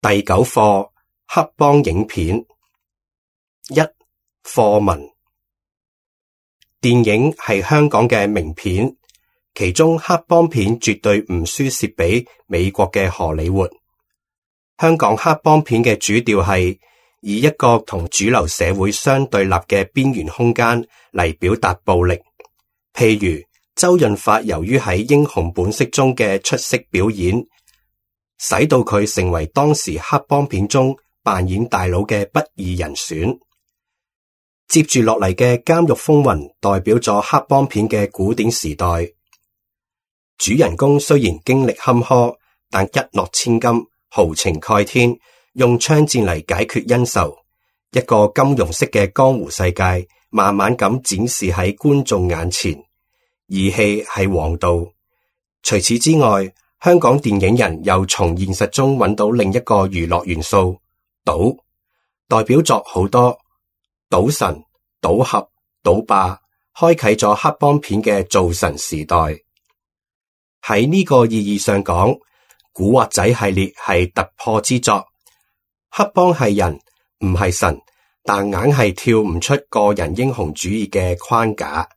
第9課黑幫影片。1. 課文。電影係香港嘅名片，其中黑幫片絕對唔輸蝕俾美國嘅荷里活。香港黑幫片嘅主調係以一個同主流社會相對立嘅邊緣空間嚟表達暴力，譬如周潤發由於喺《英雄本色》中嘅出色表演，使到佢成為當時黑幫片中扮演大佬嘅不二人選。接住落嚟嘅《監獄風雲》代表咗黑幫片嘅古典時代。主人公雖然經歷坎坷，但一諾千金，豪情蓋天，用槍戰嚟解決恩仇。一個金庸式嘅江湖世界慢慢咁展示喺觀眾眼前，義氣係王道。除此之外，香港電影人又從現實中揾到另一個娛樂元素——賭，代表作好多，賭神、賭俠、賭霸，開啟咗黑幫片嘅造神時代。喺呢個意義上講，古惑仔系列係突破之作。黑幫係人，唔係神，但硬係跳唔出個人英雄主義嘅框架。